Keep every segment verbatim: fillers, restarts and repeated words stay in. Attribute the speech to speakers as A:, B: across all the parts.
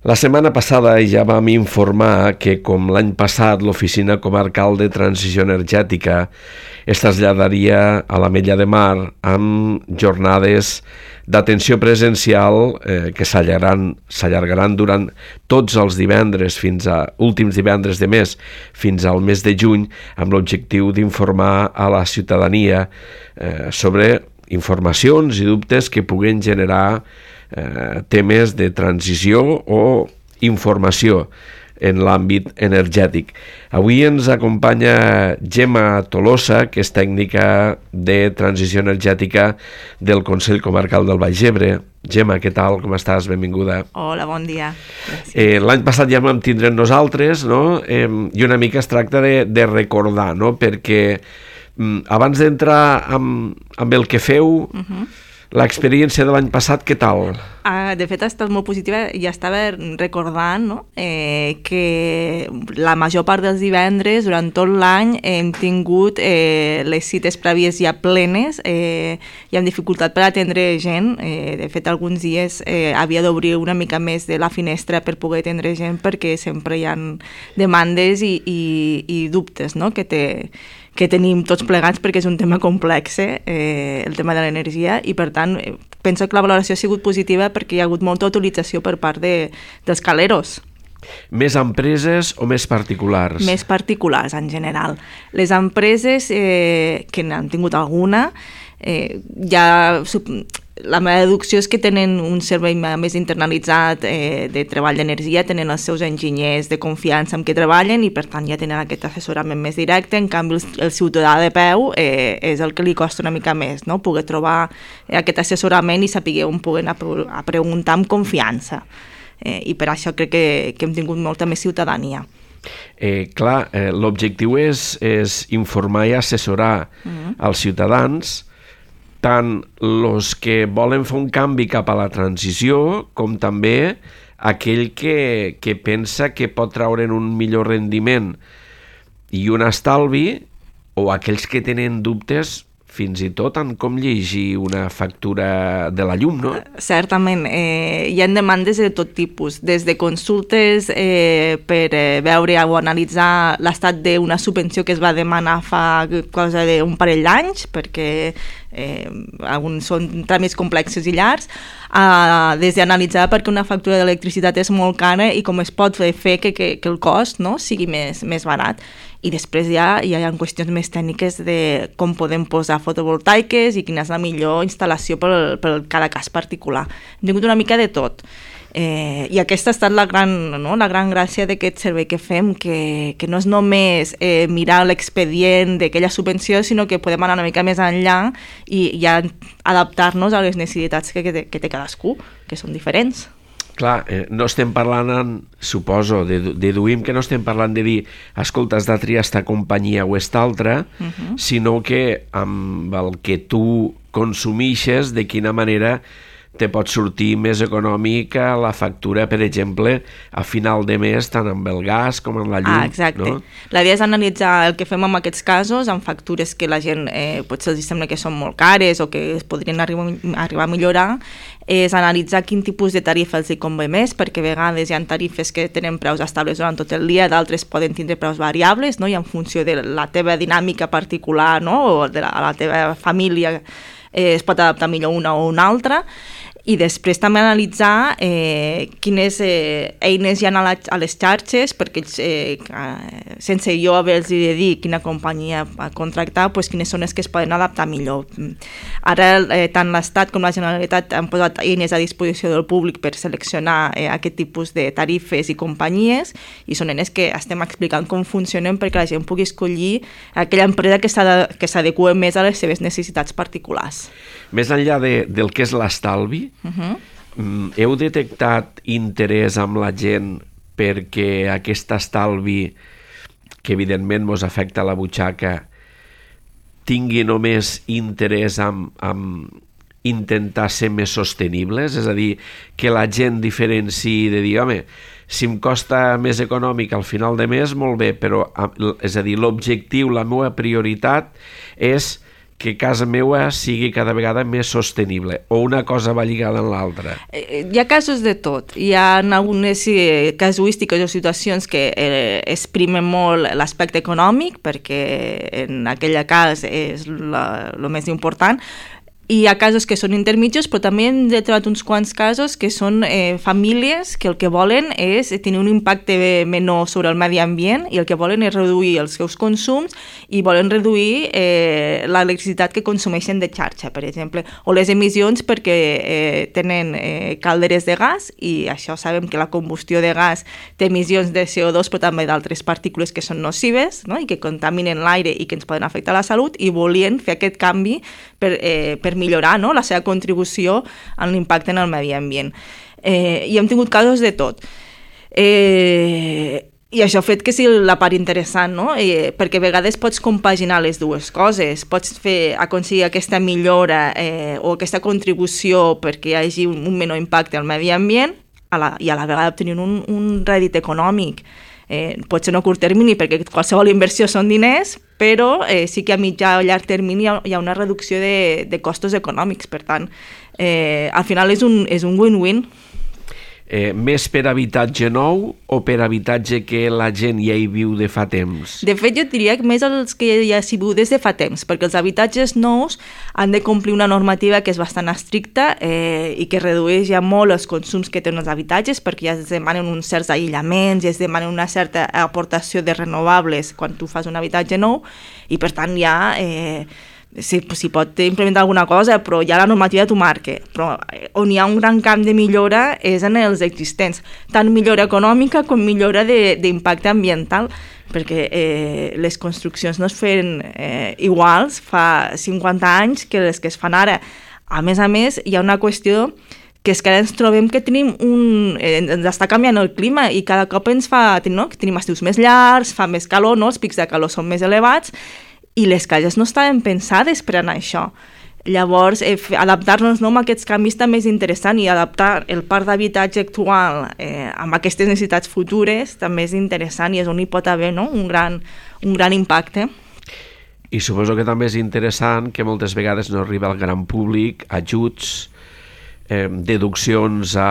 A: La setmana passada ja vam informar que, com l'any passat, l'Oficina Comarcal de Transició Energètica es traslladaria a l'Ametlla de Mar amb jornades d'atenció presencial eh, que s'allargaran, s'allargaran durant tots els divendres, fins a últims divendres de mes, fins al mes de juny, amb l'objectiu d'informar a la ciutadania eh, sobre informacions i dubtes que puguen generar eh, temes de transició o informació en l'àmbit energètic. Avui ens acompanya Gemma Tolosa, que és tècnica de transició energètica del Consell Comarcal del Baix Ebre. Gemma, què tal? Com estàs? Benvinguda.
B: Hola, bon dia.
A: Eh, l'any passat ja vam tindre nosaltres, no? Eh, i una mica es tracta de, de recordar, no? Perquè mm, abans d'entrar amb, amb el que feu, uh-huh. l'experiència de l'any passat, què tal?
B: Uh, de fet, ha estat molt positiva. Ja estava recordant, no? eh, que la major part dels divendres, durant tot l'any, hem tingut eh, les cites prèvies ja plenes eh, i amb dificultat per atendre gent. Eh, de fet, alguns dies eh, havia d'obrir una mica més de la finestra per poder atendre gent, perquè sempre hi ha demandes i, i, i dubtes, no? que té que tenim tots plegats, perquè és un tema complex, eh, el tema de l'energia, i per tant penso que la valoració ha sigut positiva perquè hi ha hagut molta utilització per part de, dels caleros.
A: Més empreses o més particulars?
B: Més particulars, en general. Les empreses eh, que n'han tingut alguna, eh, ja... La meva deducció és que tenen un servei més internalitzat eh, de treball d'energia, tenen els seus enginyers de confiança amb què treballen i per tant ja tenen aquest assessorament més directe. En canvi el, el ciutadà de peu eh, és el que li costa una mica més, no? Poder trobar eh, aquest assessorament i saber on poder anar a preguntar amb confiança. Eh, I per això crec que, que hem tingut molta més ciutadania.
A: Eh, clar, eh, l'objectiu és, és informar i assessorar mm-hmm. els ciutadans, tant els que volen fer un canvi cap a la transició com també aquell que, que pensa que pot traure'n un millor rendiment i un estalvi, o aquells que tenen dubtes fins i tot en com llegir una factura de la llum, no?
B: Certament, eh, hi ha demandes de tot tipus, des de consultes eh, per eh, veure o analitzar l'estat d'una subvenció que es va demanar fa cosa d'un parell d'anys, perquè eh, alguns són tràmits complexos i llargs, eh, des d'analitzar perquè una factura d'electricitat és molt cara i com es pot fer que, que, que el cost, no?, sigui més, més barat. I després ja, ja hi ha qüestions més tècniques de com podem posar fotovoltaiques i quina és la millor instal·lació per, per cada cas particular. Hem tingut una mica de tot. Eh, I aquesta ha estat la gran, no? la gran gràcia d'aquest servei que fem, que, que no és només eh, mirar l'expedient d'aquella subvenció, sinó que podem anar una mica més enllà i ja adaptar-nos a les necessitats que, que, té, que té cadascú, que són diferents.
A: Clar, eh, no estem parlant, en, suposo, deduïm que no estem parlant de dir escolta, has de triar esta companyia o esta altra, uh-huh. sinó que amb el que tu consumixes, de quina manera te pot sortir més econòmica la factura, per exemple, a final de mes, tant amb el gas com amb la llum.
B: Ah, exacte.
A: No?
B: La idea és analitzar el que fem en aquests casos, amb factures que la gent eh, potser els sembla que són molt cares o que es podrien arribar, arribar a millorar, és analitzar quin tipus de tarifa els hi convé més, perquè a vegades hi ha tarifes que tenen preus estables durant tot el dia, d'altres poden tindre preus variables, no? I en funció de la teva dinàmica particular, no? O de la, la teva família eh, es pot adaptar millor una o una altra. I després també analitzar eh, quines eh, eines hi ha a, la, a les xarxes, perquè eh, sense jo haver-los de dir quina companyia contractar, pues, quines són les que es poden adaptar millor. Ara eh, tant l'Estat com la Generalitat han posat eines a disposició del públic per seleccionar eh, aquest tipus de tarifes i companyies, i són eines que estem explicant com funcionen perquè la gent pugui escollir aquella empresa que s'adequa més a les seves necessitats particulars.
A: Més enllà de, del que és l'estalvi, uh-huh. heu detectat interès amb la gent perquè aquest estalvi, que evidentment ens afecta la butxaca, tingui només interès en, en intentar ser més sostenibles? És a dir, que la gent diferenciï de dir, home, si em costa més econòmic al final de mes, molt bé, però és a dir, l'objectiu, la meva prioritat és que casa meva sigui cada vegada més sostenible, o una cosa va lligada en l'altra?
B: Hi ha casos de tot. Hi ha algunes casuístiques o situacions que eh, exprimen molt l'aspecte econòmic, perquè en aquell cas és el més important. Hi ha casos que són intermitjos, però també hem trobat uns quants casos que són eh, famílies que el que volen és tenir un impacte menor sobre el medi ambient i el que volen és reduir els seus consums i volen reduir eh, l'electricitat que consumeixen de xarxa, per exemple, o les emissions perquè eh, tenen eh, calderes de gas i això sabem que la combustió de gas té emissions de C O dos però també d'altres partícules que són nocives, no? I que contaminen l'aire i que ens poden afectar la salut i volien fer aquest canvi per, eh, per millorar, no?, la seva contribució en l'impacte en el medi ambient. Eh, I hem tingut casos de tot. Eh, I això ha fet que sigui la part interessant, no? Eh, perquè a vegades pots compaginar les dues coses. Pots fer, aconseguir aquesta millora eh, o aquesta contribució perquè hi hagi un, un menor impacte al medi ambient a la, i a la vegada obtenir un, un rèdit econòmic. Eh, pot ser no a curt termini perquè qualsevol inversió són diners, però eh, sí que a mitjà o llarg termini hi ha, hi ha una reducció de, de costos econòmics. Per tant, eh, al final és un, és un win-win.
A: Eh, més per habitatge nou o per habitatge que la gent ja hi viu de fa temps?
B: De fet, jo diria que més els que ja s'hi viu des de fa temps, perquè els habitatges nous han de complir una normativa que és bastant estricta eh, i que redueix ja molt els consums que tenen els habitatges, perquè ja es demanen uns certs aïllaments, ja es demanen una certa aportació de renovables quan tu fas un habitatge nou, i per tant ja... Eh, s'hi sí, pot implementar alguna cosa, però ja la normativa t'ho marca. Però on hi ha un gran camp de millora és en els existents, tant millora econòmica com millora d'impacte ambiental, perquè eh, les construccions no es feien eh, iguals fa cinquanta anys que les que es fan ara. A més a més, hi ha una qüestió que és que ara ens trobem que tenim un... Eh, ens està canviant el clima i cada cop ens fa... No? Que tenim estius més llargs, fa més calor, no? Els pics de calor són més elevats, i les cases no estaven pensades per anar a això. Llavors, eh, adaptar-nos no, a aquests canvis també és interessant, i adaptar el parc d'habitatge actual eh, amb aquestes necessitats futures també és interessant i és on hi pot haver, no?, un gran, un gran impacte.
A: I suposo que també és interessant que moltes vegades no arriba al gran públic ajuts, eh, deduccions a...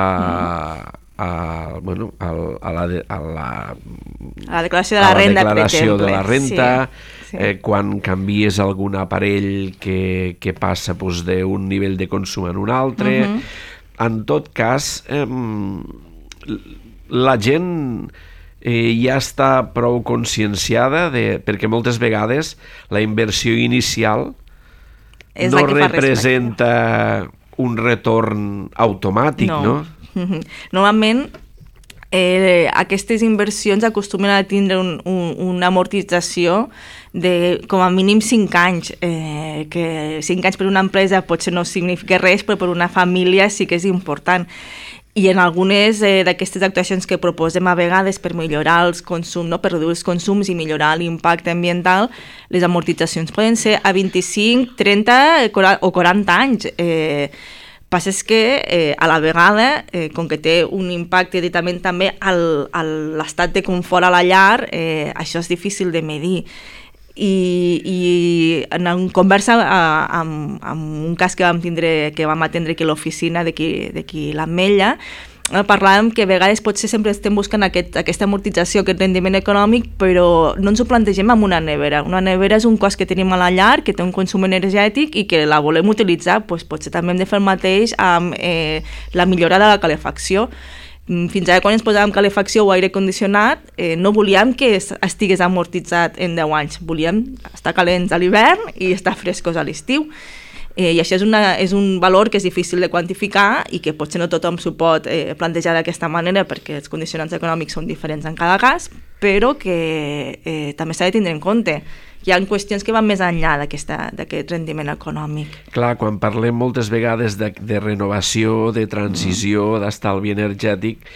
A: Mm. A, bueno, a, a, la, a, la,
B: a la declaració de la, la renda,
A: declaració
B: per exemple.
A: de la renta,
B: sí, sí.
A: Eh, quan canvies algun aparell que, que passa pues, d'un nivell de consum en un altre. Uh-huh. En tot cas, eh, la gent eh, ja està prou conscienciada, de, perquè moltes vegades la inversió inicial és no representa un retorn automàtic, no? no?
B: Normalment eh, aquestes inversions acostumen a tindre un, un, una amortització de com a mínim cinc anys, eh, que cinc anys per una empresa potser no significa res, però per una família sí que és important. I en algunes eh, d'aquestes actuacions que proposem a vegades per millorar els consums, no? Per reduir els consums i millorar l'impacte ambiental, les amortitzacions poden ser a vint-i-cinc, trenta o quaranta anys. Eh, passa és que eh, a la vegada, eh, com que té un impacte directament també a l'estat de confort a la llar, eh, això és difícil de medir. I, i en una conversa a, amb, amb un cas que vam tindre, que vam atendre aquí a l'oficina d'aquí l'Ametlla, parlàvem que a vegades potser sempre estem buscant aquest, aquesta amortització, aquest rendiment econòmic, però no ens ho plantegem amb una nevera. Una nevera és un cost que tenim a la llar, que té un consum energètic i que la volem utilitzar, doncs potser també hem de fer el mateix amb eh, la millora de la calefacció. Fins ara, quan ens posàvem calefacció o aire condicionat, eh, no volíem que estigués amortitzat en deu anys. Volíem estar calents a l'hivern i estar frescos a l'estiu. Eh, I això és, una, és un valor que és difícil de quantificar i que potser no tothom s'ho pot eh, plantejar d'aquesta manera perquè els condicionants econòmics són diferents en cada cas, però que eh, també s'ha de tindre en compte. Hi ha qüestions que van més enllà d'aquest rendiment econòmic.
A: Clar, quan parlem moltes vegades de, de renovació, de transició, mm. d'estalvi energètic,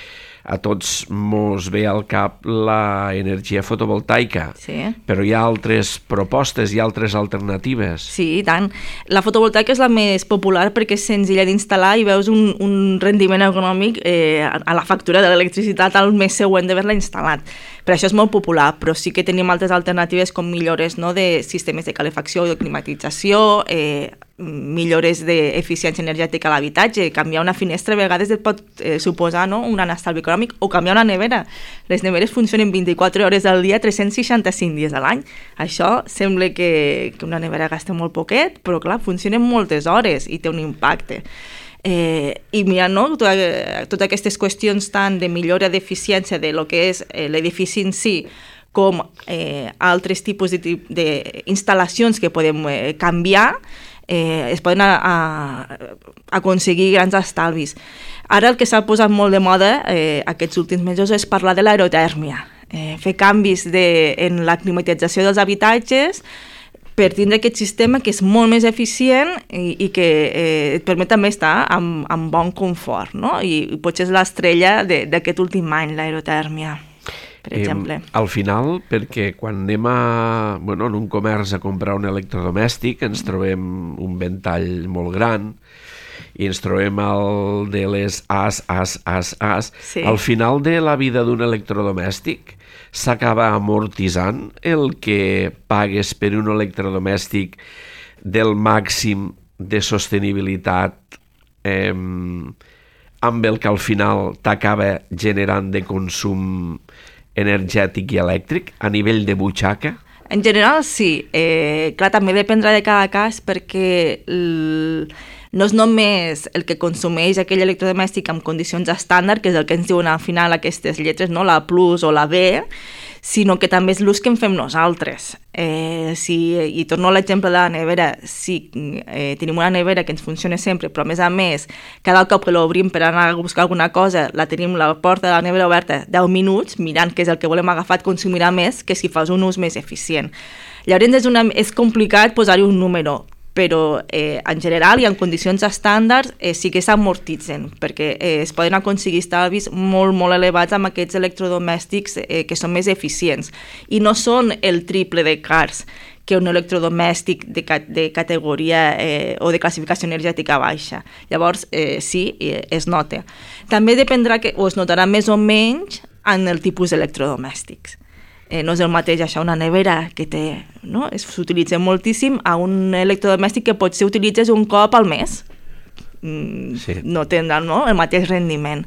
A: a tots mos ve al cap l'energia fotovoltaica,
B: sí.
A: Però hi ha altres propostes, hi ha altres alternatives.
B: Sí, i tant. La fotovoltaica és la més popular perquè és senzilla d'instal·lar i veus un, un rendiment econòmic eh, a la factura de l'electricitat al mes següent d'haver-la instal·lat. Per això és molt popular, però sí que tenim altres alternatives com millores, no?, de sistemes de calefacció o de climatització, eh, millores d'eficiència energètica a l'habitatge. Canviar una finestra a vegades et pot eh, suposar, no?, un gran estalvi econòmic, o canviar una nevera. Les neveres funcionen vint-i-quatre hores al dia, tres-cents seixanta-cinc dies a l'any. Això sembla que, que una nevera gasta molt poquet, però clar, funcionen moltes hores i té un impacte. Eh, I mira, no? Totes tot aquestes qüestions tant de millora d'eficiència de lo que és eh, l'edifici en si, com eh, altres tipus d'instal·lacions que podem eh, canviar, eh, es poden a, a, aconseguir grans estalvis. Ara el que s'ha posat molt de moda eh, aquests últims mesos és parlar de l'aerotèrmia, eh, fer canvis de, en la climatització dels habitatges per tindre aquest sistema que és molt més eficient i, i que eh, et permet també estar amb, amb bon confort, no? I, i potser és l'estrella d'aquest últim any, l'aerotèrmia, per exemple.
A: Eh, al final, perquè quan anem a, bueno, en un comerç a comprar un electrodomèstic ens trobem un ventall molt gran i ens trobem el de les as, as, as, as.
B: Sí.
A: Al final de la vida d'un electrodomèstic s'acaba amortitzant el que pagues per un electrodomèstic del màxim de sostenibilitat eh, amb el que al final t'acaba generant de consum energètic i elèctric a nivell de butxaca?
B: En general, sí. Eh, clar, també dependrà de cada cas perquè l... no és només el que consumeix aquell electrodomèstic amb condicions estàndard, que és el que ens diuen al final aquestes lletres, no? La plus o la B, sinó que també és l'ús que en fem nosaltres. Eh, si, I torno a l'exemple de la nevera. Si eh, tenim una nevera que ens funciona sempre, però a més a més, cada cop que l'obrim per anar a buscar alguna cosa, la tenim la porta de la nevera oberta deu minuts, mirant què és el que volem agafar, et consumirà més que si fas un ús més eficient. Llavors és, una, és complicat posar-hi un número, però eh, en general i en condicions estàndards eh, sí que s'amortitzen, perquè eh, es poden aconseguir estalvis molt, molt elevats amb aquests electrodomèstics eh, que són més eficients. I no són el triple de cars que un electrodomèstic de, de categoria eh, o de classificació energètica baixa. Llavors, eh, sí, eh, es nota. També dependrà, que, o es notarà més o menys en el tipus d'electrodomèstics. Eh, no és el mateix això, una nevera que té, no? S'utilitza moltíssim a un electrodomèstic que potser utilitzes un cop al mes. Mm, sí. No tindrà, no?, el mateix rendiment.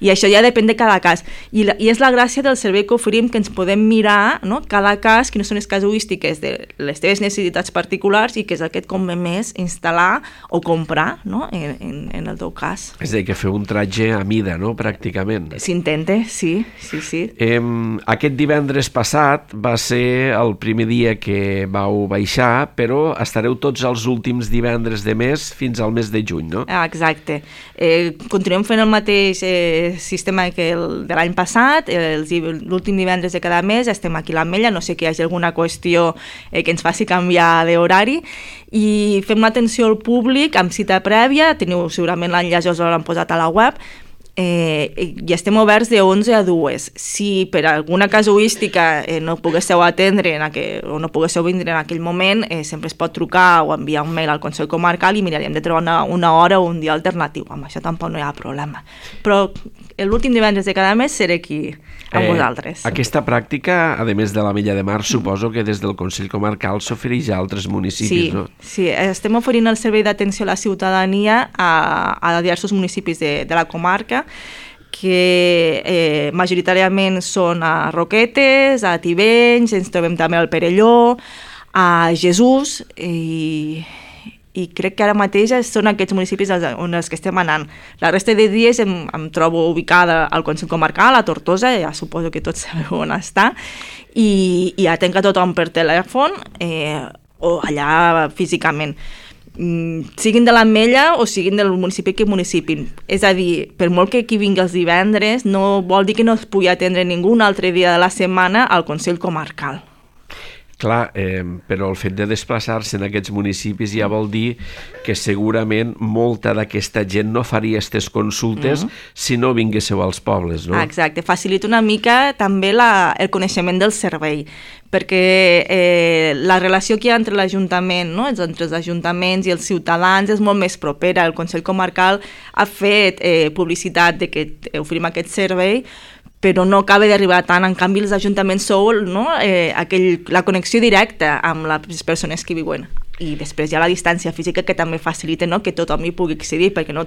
B: I això ja depèn de cada cas. I, la, i és la gràcia del servei que oferim, que ens podem mirar, no?, cada cas, quines són les casuístiques de les teves necessitats particulars i què és el que et convé més instal·lar o comprar, no?, en, en, en el teu cas.
A: És a dir, que fer un tratge a mida, no?, pràcticament.
B: S'intenta, sí, sí, sí.
A: Eh, aquest divendres passat va ser el primer dia que vau baixar, però estareu tots els últims divendres de mes fins al mes de juny, no?
B: Ah, exacte. Eh, continuem fent el mateix eh, sistema que el de l'any passat, l'últim divendres de cada mes estem aquí a l'Ametlla, no sé que hi hagi alguna qüestió eh, que ens faci canviar d'horari, i fem l'atenció al públic amb cita prèvia, teniu segurament l'enllaç, us l'han posat a la web, eh, i estem oberts de onze a dues. Si per alguna casuística eh, no poguésseu atendre en aquell, o no poguésseu vindre en aquell moment, eh, sempre es pot trucar o enviar un mail al Consell Comarcal i miraríem de trobar una, una hora o un dia alternatiu. Amb això tampoc no hi ha problema. Però l'últim divendres de cada mes seré aquí amb eh, vosaltres.
A: Aquesta pràctica, a més de l'Ametlla de Mar, suposo que des del Consell Comarcal s'ofereix a altres municipis,
B: sí,
A: no?
B: Sí, estem oferint el servei d'atenció a la ciutadania a, a diversos municipis de, de la comarca, que eh, majoritàriament són a Roquetes, a Tivenys, ens trobem també al Perelló, a Jesús, i, i crec que ara mateix són aquests municipis on els que estem anant. La resta de dies em, em trobo ubicada al Consell Comarcal, a Tortosa, ja suposo que tots sabeu on està, i, i atenc a tothom per telèfon eh, o allà físicament. Siguin de l'Ametlla o siguin del municipi que municipin. És a dir, per molt que qui vingui els divendres, no vol dir que no es pugui atendre ningú un altre dia de la setmana al Consell Comarcal.
A: Clar, eh, però el fet de desplaçar-se en aquests municipis ja vol dir que segurament molta d'aquesta gent no faria aquestes consultes mm-hmm. si no vinguéssiu als pobles, no?
B: Exacte, facilita una mica també la, el coneixement del servei, perquè eh, la relació que hi ha entre l'Ajuntament, no? entre els ajuntaments i els ciutadans és molt més propera. El Consell Comarcal ha fet eh, publicitat de que oferim aquest servei, però no acaba d'arribar tant. En canvi, els ajuntaments sou, no? eh, aquell, la connexió directa amb les persones que viuen. I després hi ha la distància física que també facilita, no? que tothom hi pugui accedir, perquè no,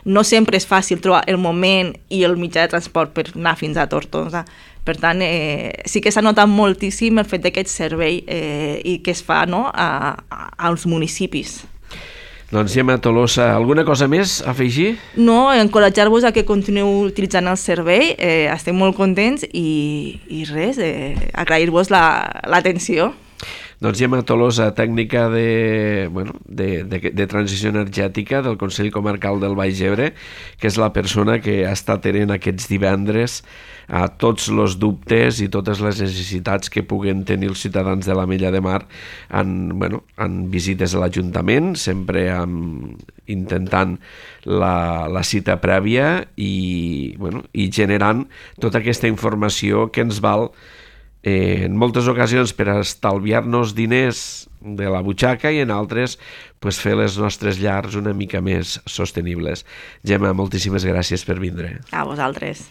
B: no sempre és fàcil trobar el moment i el mitjà de transport per anar fins a Tortosa. Per tant, eh, sí que s'ha notat moltíssim el fet d'aquest servei eh, i que es fa, no? a, a, als municipis.
A: Doncs Gemma Tolosa, alguna cosa més a afegir?
B: No, encoratjar-vos a que continueu utilitzant el servei, eh, estem molt contents i, i res, eh, agrair-vos l'atenció. La,
A: Doncs Gemma Tolosa, tècnica de, bueno, de, de, de transició energètica del Consell Comarcal del Baix Ebre, que és la persona que ha estat tenint aquests divendres a tots els dubtes i totes les necessitats que puguen tenir els ciutadans de l'Ametlla de Mar en, bueno, en visites a l'Ajuntament, sempre amb, intentant la, la cita prèvia i, bueno, i generant tota aquesta informació que ens val Eh, en moltes ocasions per estalviar-nos diners de la butxaca i en altres pues, fer les nostres llars una mica més sostenibles. Gemma, moltíssimes gràcies per vindre.
B: A vosaltres.